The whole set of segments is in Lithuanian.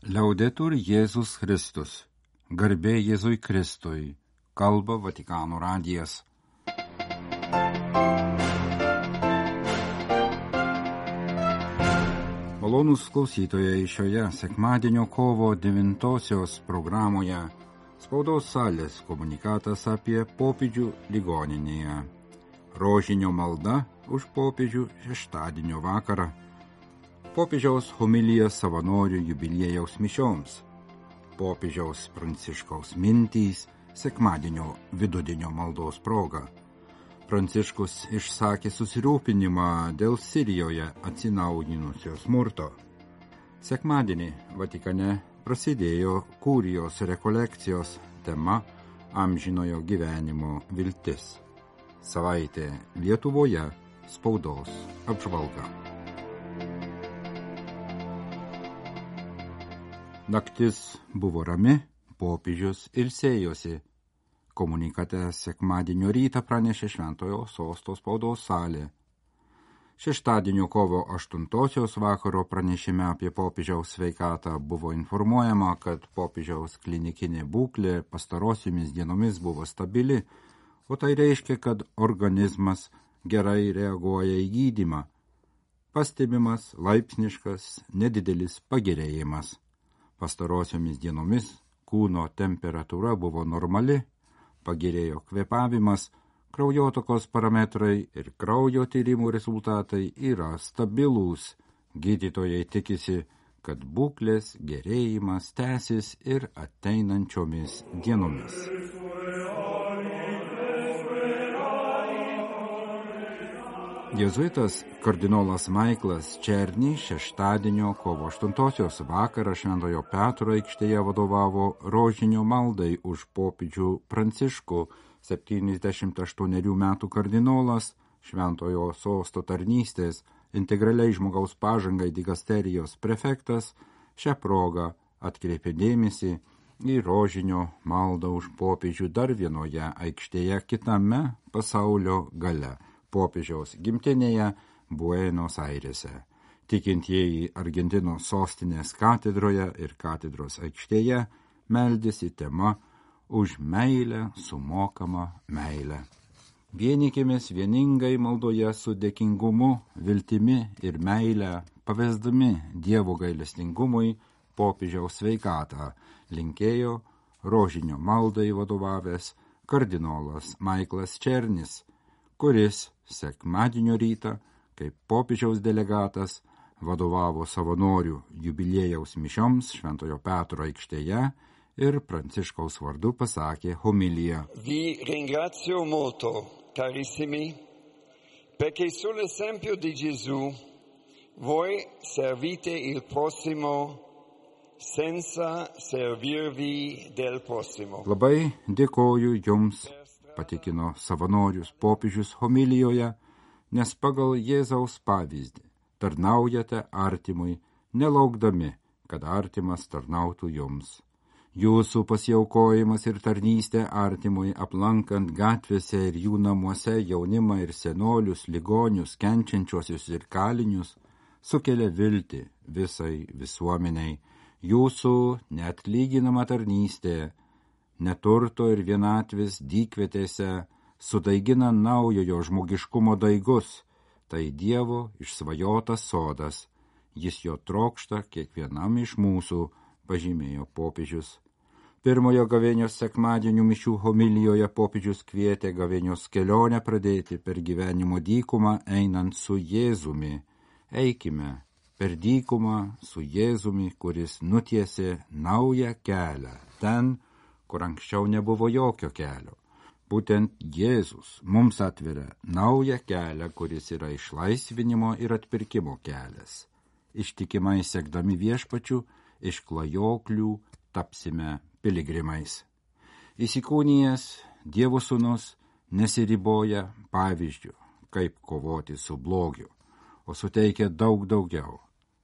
Liaudetur Jėzus Kristus. Garbė Jėzui Kristui. Kalba Vatikano radijas. Malonūs klausytojai, šioje sekmadienio kovo 9 programoje spaudos salės komunikatas apie popiežių ligoninėje. Rožinio malda už popiežių šeštadienio vakarą. Popiežiaus homilija savanorių jubiliejaus mišioms. Popiežiaus Pranciškaus mintys sekmadienio vidudienio maldos proga. Pranciškus išsakė susirūpinimą dėl Sirijoje atsinaujinusio smurto. Sekmadienį Vatikane prasidėjo kurijos rekolekcijos tema amžinojo gyvenimo viltis. Savaitė Lietuvoje spaudos apžvalga. Naktis buvo rami, popiežius ilsėjosi. Komunikate sekmadienio rytą pranešė Šventojo Sosto spaudos salė. Šeštadienio kovo 8 vakaro pranešime apie popiežiaus sveikatą buvo informuojama, kad popiežiaus klinikinė būklė pastarosiomis dienomis buvo stabili, o tai reiškia, kad organizmas gerai reaguoja į gydymą. Pastebimas laipsniškas nedidelis pagerėjimas. Pastarosiomis dienomis kūno temperatūra buvo normali, pagerėjo kvėpavimas, kraujotakos parametrai ir kraujo tyrimų rezultatai yra stabilūs. Gydytojai tikisi, kad būklės gerėjimas tęsis ir ateinančiomis dienomis. Jėzuitas kardinolas Maiklas Černy šeštadienio kovo 8 vakarą Šventojo Petro aikštėje vadovavo rožinio maldai už popiežių Pranciškų. 78 metų kardinolas, Šventojo Sosto tarnystės, integraliai žmogaus pažangai digasterijos prefektas, šią progą atkreipė dėmesį į rožinio maldą už popiežių dar vienoje aikštėje kitame pasaulio gale. Popiežiaus gimtinėje Buenos Airėse. Tikintieji Argentinos sostinės katedroje ir katedros aikštėje meldėsi tema už meilę sumokamą meilę. Vienykimės vieningai maldoje su dėkingumu, viltimi ir meilę, pavesdami Dievo gailestingumui popiežiaus sveikatą, linkėjo rožinio maldai vadovavęs kardinolas Maiklas Černis, kuris sekmadienio rytą, kaip popiežiaus delegatas, vadovavo savanorių jubiliejaus mišioms Šventojo Petro aikštėje ir Pranciškaus vardu pasakė homiliją. Vi ringrazio molto, carissimi, perché sull'esempio di Gesù voi servite il prossimo senza servirvi del prossimo. Labai dėkoju jums, patikino savanorius popiežius homilijoje, nes pagal Jėzaus pavyzdį tarnaujate artimui, nelaukdami, kad artimas tarnautų jums. Jūsų pasiaukojimas ir tarnystė artimui aplankant gatvėse ir jų namuose jaunimą ir senolius, ligonius, kenčiančiuosius ir kalinius, sukelia viltį visai visuomeniai. Jūsų neatlyginama tarnystė neturto ir vienatvės dykvietėse sudaigina naujojo žmogiškumo daigus, tai Dievo išsvajotas sodas. Jis jo trokšta kiekvienam iš mūsų, pažymėjo popiežius. Pirmojo gavėnios sekmadienių mišių homilijoje popiežius kvietė gavėnios kelionę pradėti per gyvenimo dykumą einant su Jėzumi. Eikime per dykumą su Jėzumi, kuris nutiesė naują kelią ten, kur anksčiau nebuvo jokio kelio. Būtent Jėzus mums atveria naują kelią, kuris yra išlaisvinimo ir atpirkimo kelias. Ištikimai sekdami viešpačiu, iš klajoklių tapsime piligrimais. Įsikūnijęs Dievo sūnus nesiriboja pavyzdžių, kaip kovoti su blogiu, o suteikia daug daugiau.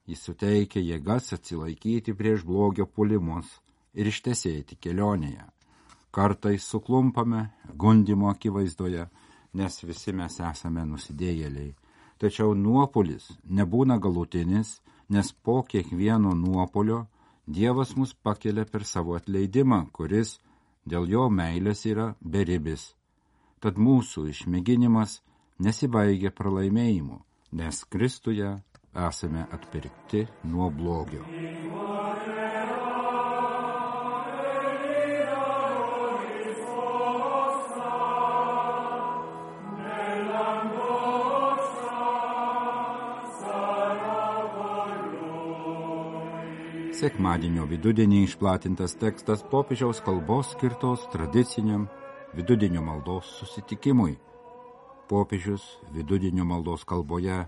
Jis suteikia jėgas atsilaikyti prieš blogio puolimus ir ištesėti kelionėje. Kartais suklumpame gundymo akivaizdoje, nes visi mes esame nusidėjėliai. Tačiau nuopuolis nebūna galutinis, nes po kiekvieno nuopuolio Dievas mus pakelia per savo atleidimą, kuris dėl jo meilės yra beribis. Tad mūsų išmėginimas nesibaigia pralaimėjimu, nes Kristuje esame atpirkti nuo blogio. Sekmadienio vidudienį išplatintas tekstas popiežiaus kalbos skirtos tradiciniam vidudienio maldos susitikimui. Popiežius vidudienio maldos kalboje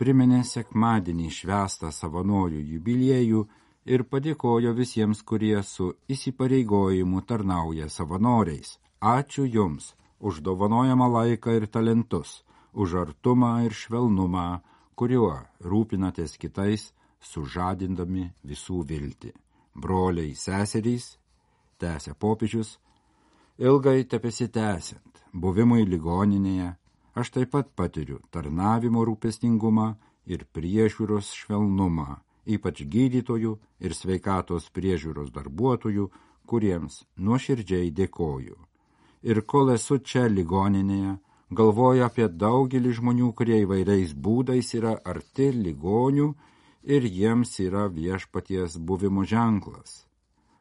priminė sekmadienį švęstą savanorių jubiliejų ir padėkojo visiems, kurie su įsipareigojimu tarnauja savanoriais. Ačiū Jums už dovanojamą laiką ir talentus, už artumą ir švelnumą, kuriuo rūpinatės kitais, sužadindami visų viltį. Broliai, seserys, tęsia popiežius, ilgai tebesitęsiant buvimui ligoninėje, aš taip pat patiriu tarnavimo rūpestingumą ir priežiūros švelnumą, ypač gydytojų ir sveikatos priežiūros darbuotojų, kuriems nuoširdžiai dėkoju. Ir kol esu čia ligoninėje, galvoju apie daugelį žmonių, kurie įvairiais būdais yra arti ligonių ir jiems yra viešpaties buvimo ženklas.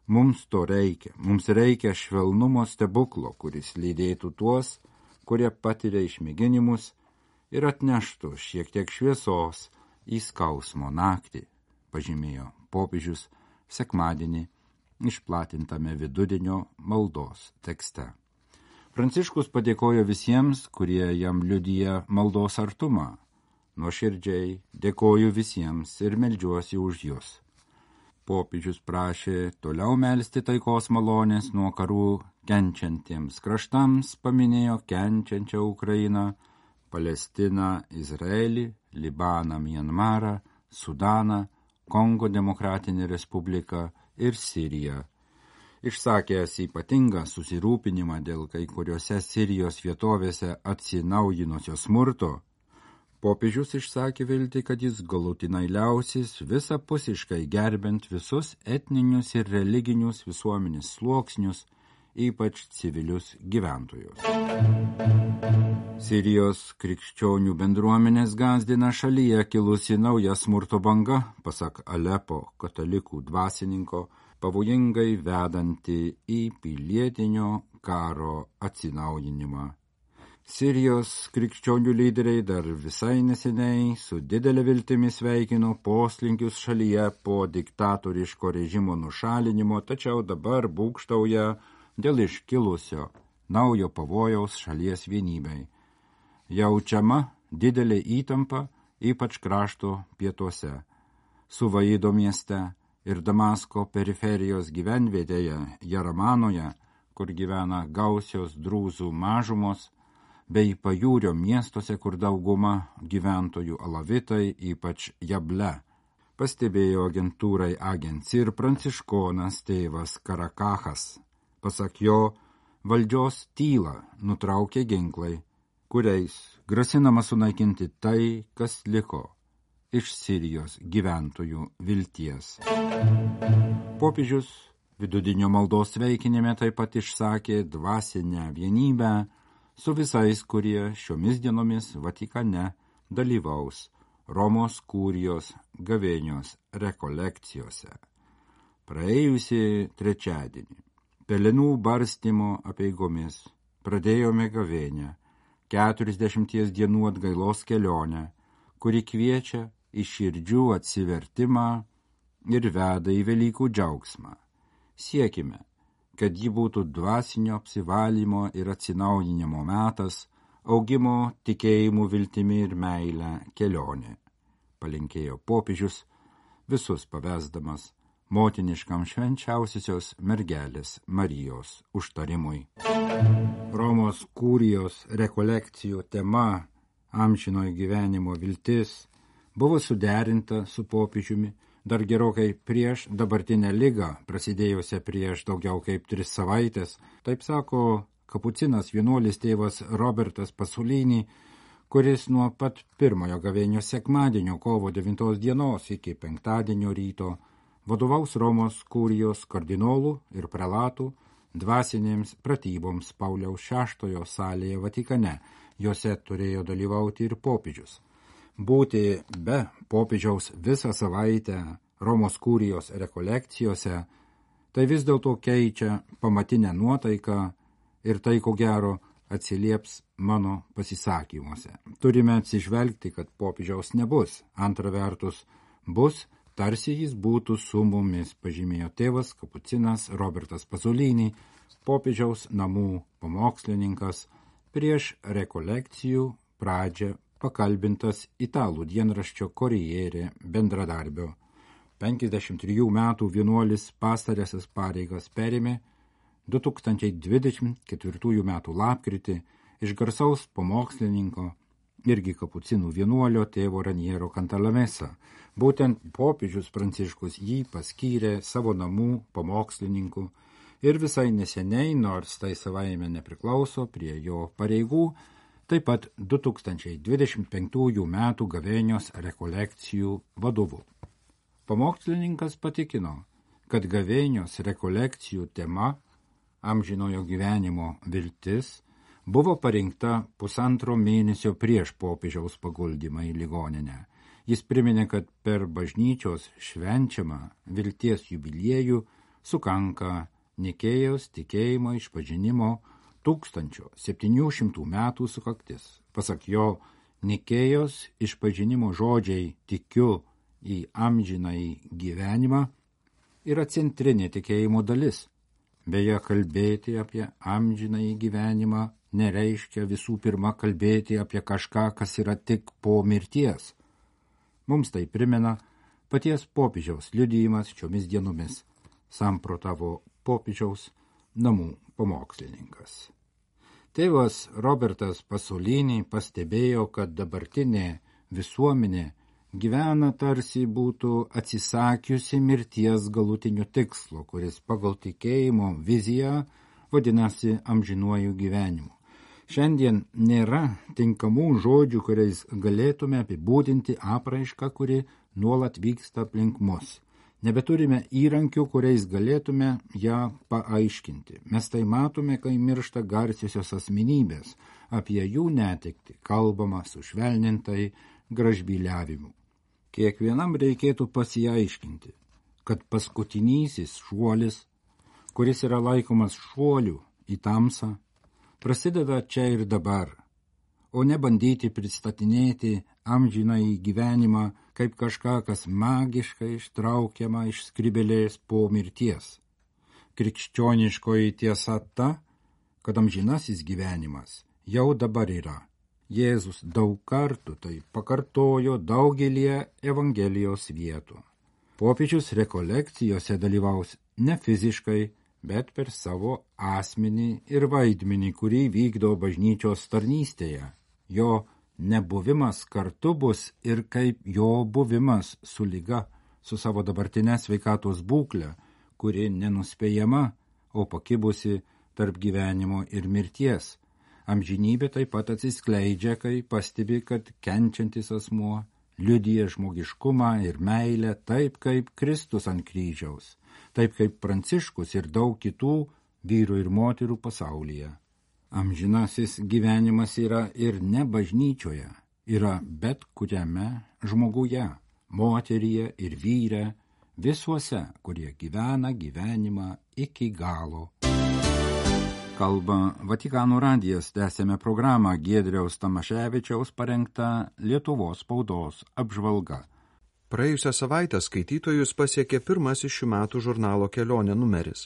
Mums to reikia. Mums reikia švelnumo stebuklo, kuris lydėtų tuos, kurie patiria išmėginimus ir atneštų šiek tiek šviesos į skausmo naktį, pažymėjo popiežius sekmadienį išplatintame vidudienio maldos tekste. Pranciškus padėkojo visiems, kurie jam liudija maldos artumą. Nuoširdžiai dėkoju visiems ir meldžiuosi už jus. Popiežius prašė toliau melsti taikos malonės nuo karų kenčiantiems kraštams, paminėjo kenčiančią Ukrainą, Palestiną, Izraelį, Libaną, Mianmarą, Sudaną, Kongo Demokratinę Respubliką ir Siriją. Išsakęs ypatingą susirūpinimą dėl kai kuriuose Sirijos vietovėse atsinaujinusios smurto, popiežius išsakė viltį, kad jis galutinai liausis visapusiškai gerbent visus etninius ir religinius visuomenės sluoksnius, ypač civilius gyventojus. Sirijos krikščionių bendruomenės gąsdina šalyje kilusi nauja smurto banga, pasak Alepo katalikų dvasininko, pavojingai vedanti į pilietinio karo atsinaujinimą. Sirijos krikščionių lyderiai dar visai neseniai su didelė viltimi sveikino poslinkius šalyje po diktatoriško režimo nušalinimo, tačiau dabar būgštauja dėl iškilusio naujo pavojaus šalies vienybei. Jaučiama didelė įtampa, ypač krašto pietuose. Suvaido mieste ir Damasko periferijos gyvenvietėje Jaramanoje, kur gyvena gausios drūzų mažumos, bei pajūrio miestuose, kur dauguma gyventojų alavitai, ypač Jable, pastebėjo agentūrai Agenci ir pranciškonas tėvas Karakachas. Pasak jo, valdžios tylą nutraukė ginklai, kuriais grasinama sunaikinti tai, kas liko iš Sirijos gyventojų vilties. Popiežius vidudienio maldos sveikinime taip pat išsakė dvasinę vienybę su visais, kurie šiomis dienomis Vatikane dalyvaus Romos kurijos gavėnios rekolekcijose. Praėjusį trečiadienį pelenų barstymo apeigomis pradėjome gavėnią, 40 dienų atgailos kelionę, kuri kviečia į širdžių atsivertimą ir veda į Velykų džiaugsmą. Siekime, kad ji būtų dvasinio apsivalymo ir atsinaujinimo metas, augimo, tikėjimų, viltimi ir meilę kelionė, palinkėjo popiežius, visus pavesdamas motiniškam švenčiausiosios mergelės Marijos užtarimui. Romos kurijos rekolekcijų tema amžinojo gyvenimo viltis buvo suderinta su popiežiumi dar gerokai prieš dabartinę ligą, prasidėjusią prieš daugiau kaip 3 savaitės, taip sako kapucinas vienuolis tėvas Robertas Pasolini, kuris nuo pat pirmojo gavėnios sekmadienio kovo 9 dienos iki penktadienio ryto vadovaus Romos kurijos kardinolų ir prelatų dvasinėms pratyboms Pauliaus VI salėje Vatikane. Jose turėjo dalyvauti ir popiežius. Būti be popiežiaus visą savaitę Romos kurijos rekolekcijose, tai vis dėlto keičia pamatinę nuotaiką ir tai, ko gero, atsilieps mano pasisakymuose. Turime atsižvelgti, kad popiežiaus nebus. Antra vertus, bus, tarsi jis būtų su mumis, pažymėjo tėvas kapucinas Robertas Pasolini, popiežiaus namų pamokslininkas, prieš rekolekcijų pradžią pakalbintas italų dienraščio Corriere bendradarbio. 53 metų vienuolis pastarąsias pareigas perėmė 2024 metų lapkritį iš garsaus pamokslininko, irgi kapucinų vienuolio tėvo Raniero Cantalamessa. Būtent popiežius Pranciškus jį paskyrė savo namų pamokslininku ir visai neseniai, nors tai savaime nepriklauso prie jo pareigų, taip pat 2025 metų gavėnios rekolekcijų vadovu. Pamokslininkas patikino, kad gavėnios rekolekcijų tema amžinojo gyvenimo viltis buvo parinkta 1,5 mėnesio prieš popiežiaus paguldymą į ligoninę. Jis priminė, kad per bažnyčios švenčiamą vilties jubiliejų sukanka Nikėjos tikėjimo išpažinimo 1700 metų sukaktis. Pasak jo, Nikėjos išpažinimo žodžiai tikiu į amžinąjį gyvenimą yra centrinė tikėjimo dalis. Beje, kalbėti apie amžinąjį gyvenimą nereiškia visų pirma kalbėti apie kažką, kas yra tik po mirties. Mums tai primena paties popiežiaus liudijimas šiomis dienomis, samprotavo popiežiaus namų pamokslininkas. Tėvas Robertas Pasolini pastebėjo, kad dabartinė visuomenė gyvena tarsi būtų atsisakiusi mirties galutinio tikslo, kuris pagal tikėjimo viziją vadinasi amžinuoju gyvenimu. Šiandien nėra tinkamų žodžių, kuriais galėtume apibūdinti apraišką, kuri nuolat vyksta aplink mus. Nebeturime įrankių, kuriais galėtume ją paaiškinti. Mes tai matome, kai miršta garsiosios asmenybės. Apie jų netektį kalbama sušvelnintai gražbyliavimu. Kiekvienam reikėtų pasiaiškinti, kad paskutinysis šuolis, kuris yra laikomas šuoliu į tamsą, prasideda čia ir dabar, o ne bandyti pristatinėti amžinąjį gyvenimą kaip kažką, kas magiškai ištraukiama iš skrybėlės po mirties. Krikščioniškoji tiesa ta, kad amžinasis gyvenimas jau dabar yra. Jėzus daug kartų tai pakartojo daugelį Evangelijos vietų. Popiežius rekolekcijose dalyvaus ne fiziškai, bet per savo asmenį ir vaidmenį, kurį vykdo bažnyčios tarnystėje. Jo nebuvimas kartu bus ir kaip jo buvimas su liga, su savo dabartinė sveikatos būklė, kuri nenuspėjama, o pakibusi tarp gyvenimo ir mirties. Amžinybė taip pat atsiskleidžia, kai pastebi, kad kenčiantis asmuo liudija žmogiškumą ir meilę taip, kaip Kristus ant kryžiaus, taip kaip Pranciškus ir daug kitų vyrų ir moterų pasaulyje. Amžinasis gyvenimas yra ir ne bažnyčioje, yra bet kuriame žmoguje, moteryje ir vyre, visuose, kurie gyvena gyvenimą iki galo. Kalba Vatikano radijas, tęsėme programą Giedriaus Tamaševičiaus parengta Lietuvos spaudos apžvalga. Praėjusią savaitę skaitytojus pasiekė pirmasis šių metų žurnalo Kelionė numeris.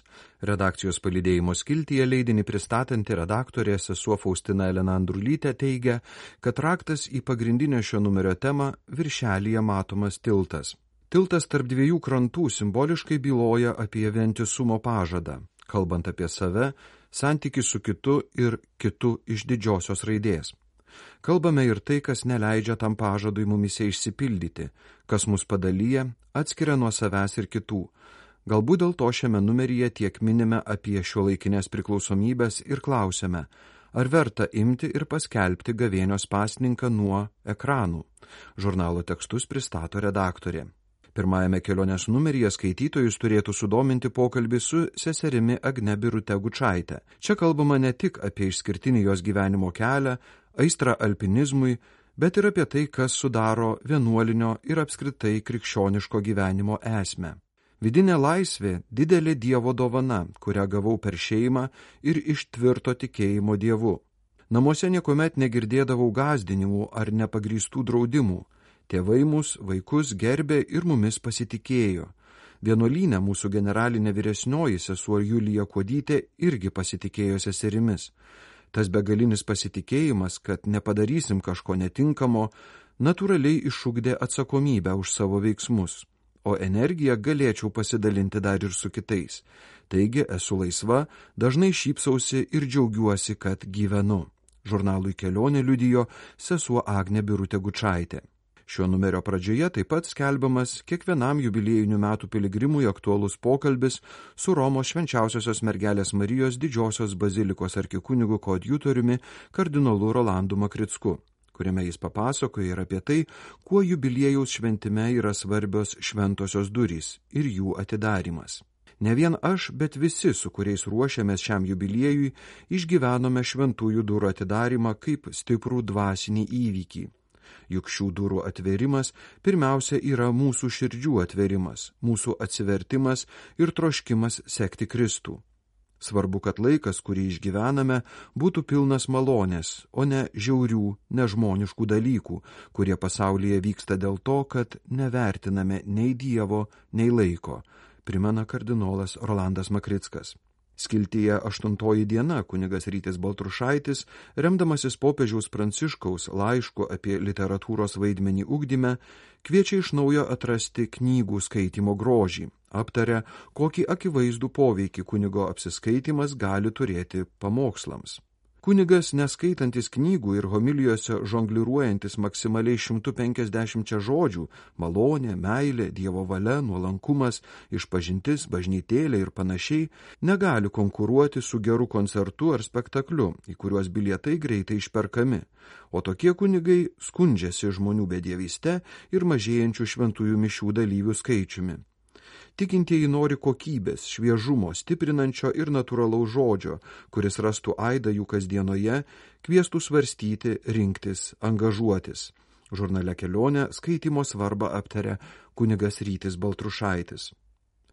Redakcijos palydėjimo skiltyje leidinį pristatanti redaktorė sesuo Faustina Elena Andrulytė teigia, kad raktas į pagrindinę šio numerio temą viršelyje matomas tiltas. Tiltas tarp dviejų krantų simboliškai byloja apie vientisumo pažadą, kalbant apie save, santykį su kitu ir kitu iš didžiosios raidės. Kalbame ir tai, kas neleidžia tam pažadui mumise išsipildyti, kas mus padalyja, atskiria nuo savęs ir kitų. Galbūt dėl to šiame numeryje tiek minime apie šiuolaikinės priklausomybės ir klausime, ar verta imti ir paskelbti gavėnios pasninką nuo ekranų. Žurnalo tekstus pristato redaktorė. Pirmajame kelionės numeryje skaitytojus turėtų sudominti pokalbį su seserimi Agne Birute Gučaite. Čia kalbama ne tik apie išskirtinį jos gyvenimo kelią, aistrą alpinizmui, bet ir apie tai, kas sudaro vienuolinio ir apskritai krikščioniško gyvenimo esmę. Vidinė laisvė – didelė Dievo dovana, kurią gavau per šeimą ir iš tvirto tikėjimo Dievu. Namuose niekuomet negirdėdavau gąsdinimų ar nepagrįstų draudimų. Tėvai mus, vaikus, gerbė ir mumis pasitikėjo. Vienuolyne mūsų generalinė vyresnioji sesuo Julija Kuodytė irgi pasitikėjo seserimis. Tas begalinis pasitikėjimas, kad nepadarysim kažko netinkamo, natūraliai išugdė atsakomybę už savo veiksmus, o energiją galėčiau pasidalinti dar ir su kitais. Taigi esu laisva, dažnai šypsausi ir džiaugiuosi, kad gyvenu. Žurnalui Kelionė liudijo sesuo Agnė Birutė Gučaitė. Šio numerio pradžioje taip pat skelbiamas kiekvienam jubiliejinių metų piligrimui aktualus pokalbis su Romos Švenčiausiosios mergelės Marijos Didžiosios bazilikos arkikunigu koadjutoriumi kardinolu Rolandu Makricku, kuriame jis papasakoja ir apie tai, kuo jubiliejaus šventime yra svarbios šventosios durys ir jų atidarymas. Ne vien aš, bet visi, su kuriais ruošiamės šiam jubiliejui, išgyvenome šventųjų durų atidarimą kaip stiprų dvasinį įvykį. Juk šių durų atverimas pirmiausia yra mūsų širdžių atverimas, mūsų atsivertimas ir troškimas sekti Kristų. Svarbu, kad laikas, kurį išgyvename, būtų pilnas malonės, o ne žiaurių, nežmoniškų dalykų, kurie pasaulyje vyksta dėl to, kad nevertiname nei Dievo, nei laiko, primena kardinolas Rolandas Makrickas. Skiltyje 8 diena kunigas Rytis Baltrušaitis, remdamasis popiežiaus Pranciškaus laišku apie literatūros vaidmenį ugdyme, kviečia iš naujo atrasti knygų skaitymo grožį, aptaria, kokį akivaizdų poveikį kunigo apsiskaitimas gali turėti pamokslams. Kunigas, neskaitantis knygų ir homilijose žongliruojantis maksimaliai 150 žodžių – malonė, meilė, Dievo valia, nuolankumas, išpažintis, bažnytėlė ir panašiai – negali konkuruoti su geru koncertu ar spektakliu, į kuriuos bilietai greitai išperkami. O tokie kunigai skundžiasi žmonių bedievyste ir mažėjančių šventųjų mišių dalyvių skaičiumi. Tikintieji nori kokybės, šviežumo, stiprinančio ir natūralaus žodžio, kuris rastų aidą jų kasdienoje, kviestų svarstyti, rinktis, angažuotis. Žurnale Kelionė skaitymo svarbą aptaria kunigas Rytis Baltrušaitis.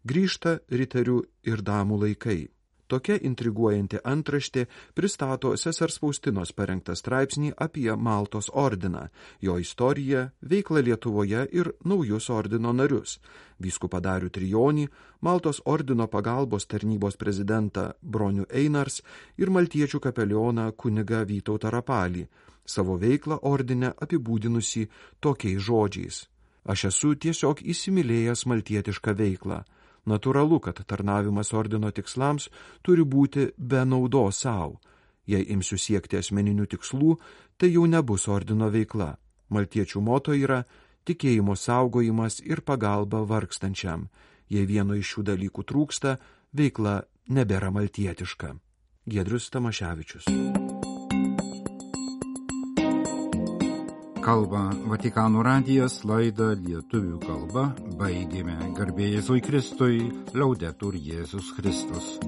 Grįžta riterių ir damų laikai. Tokia intriguojanti antraštė pristato sesers Faustinos parengtą straipsnį apie Maltos ordiną, jo istoriją, veiklą Lietuvoje ir naujus ordino narius – vyskupą Darių Trijonį, Maltos ordino pagalbos tarnybos prezidentą Bronių Einars ir maltiečių kapelioną kunigą Vytautą Rapalį, savo veiklą ordine apibūdinusi tokiais žodžiais. Aš esu tiesiog įsimylėjęs maltietišką veiklą. Natūralu, kad tarnavimas ordino tikslams turi būti be naudos savo. Jei imsiu siekti asmeninių tikslų, tai jau nebus ordino veikla. Maltiečių moto yra tikėjimo saugojimas ir pagalba vargstančiam. Jei vieno iš šių dalykų trūksta, veikla nebėra maltietiška. Giedrius Tamaševičius. Kalba Vatikano radijas, laidą lietuvių kalba baigėme. Garbė Jėzui Kristui, Laudetur Jėzus Kristus.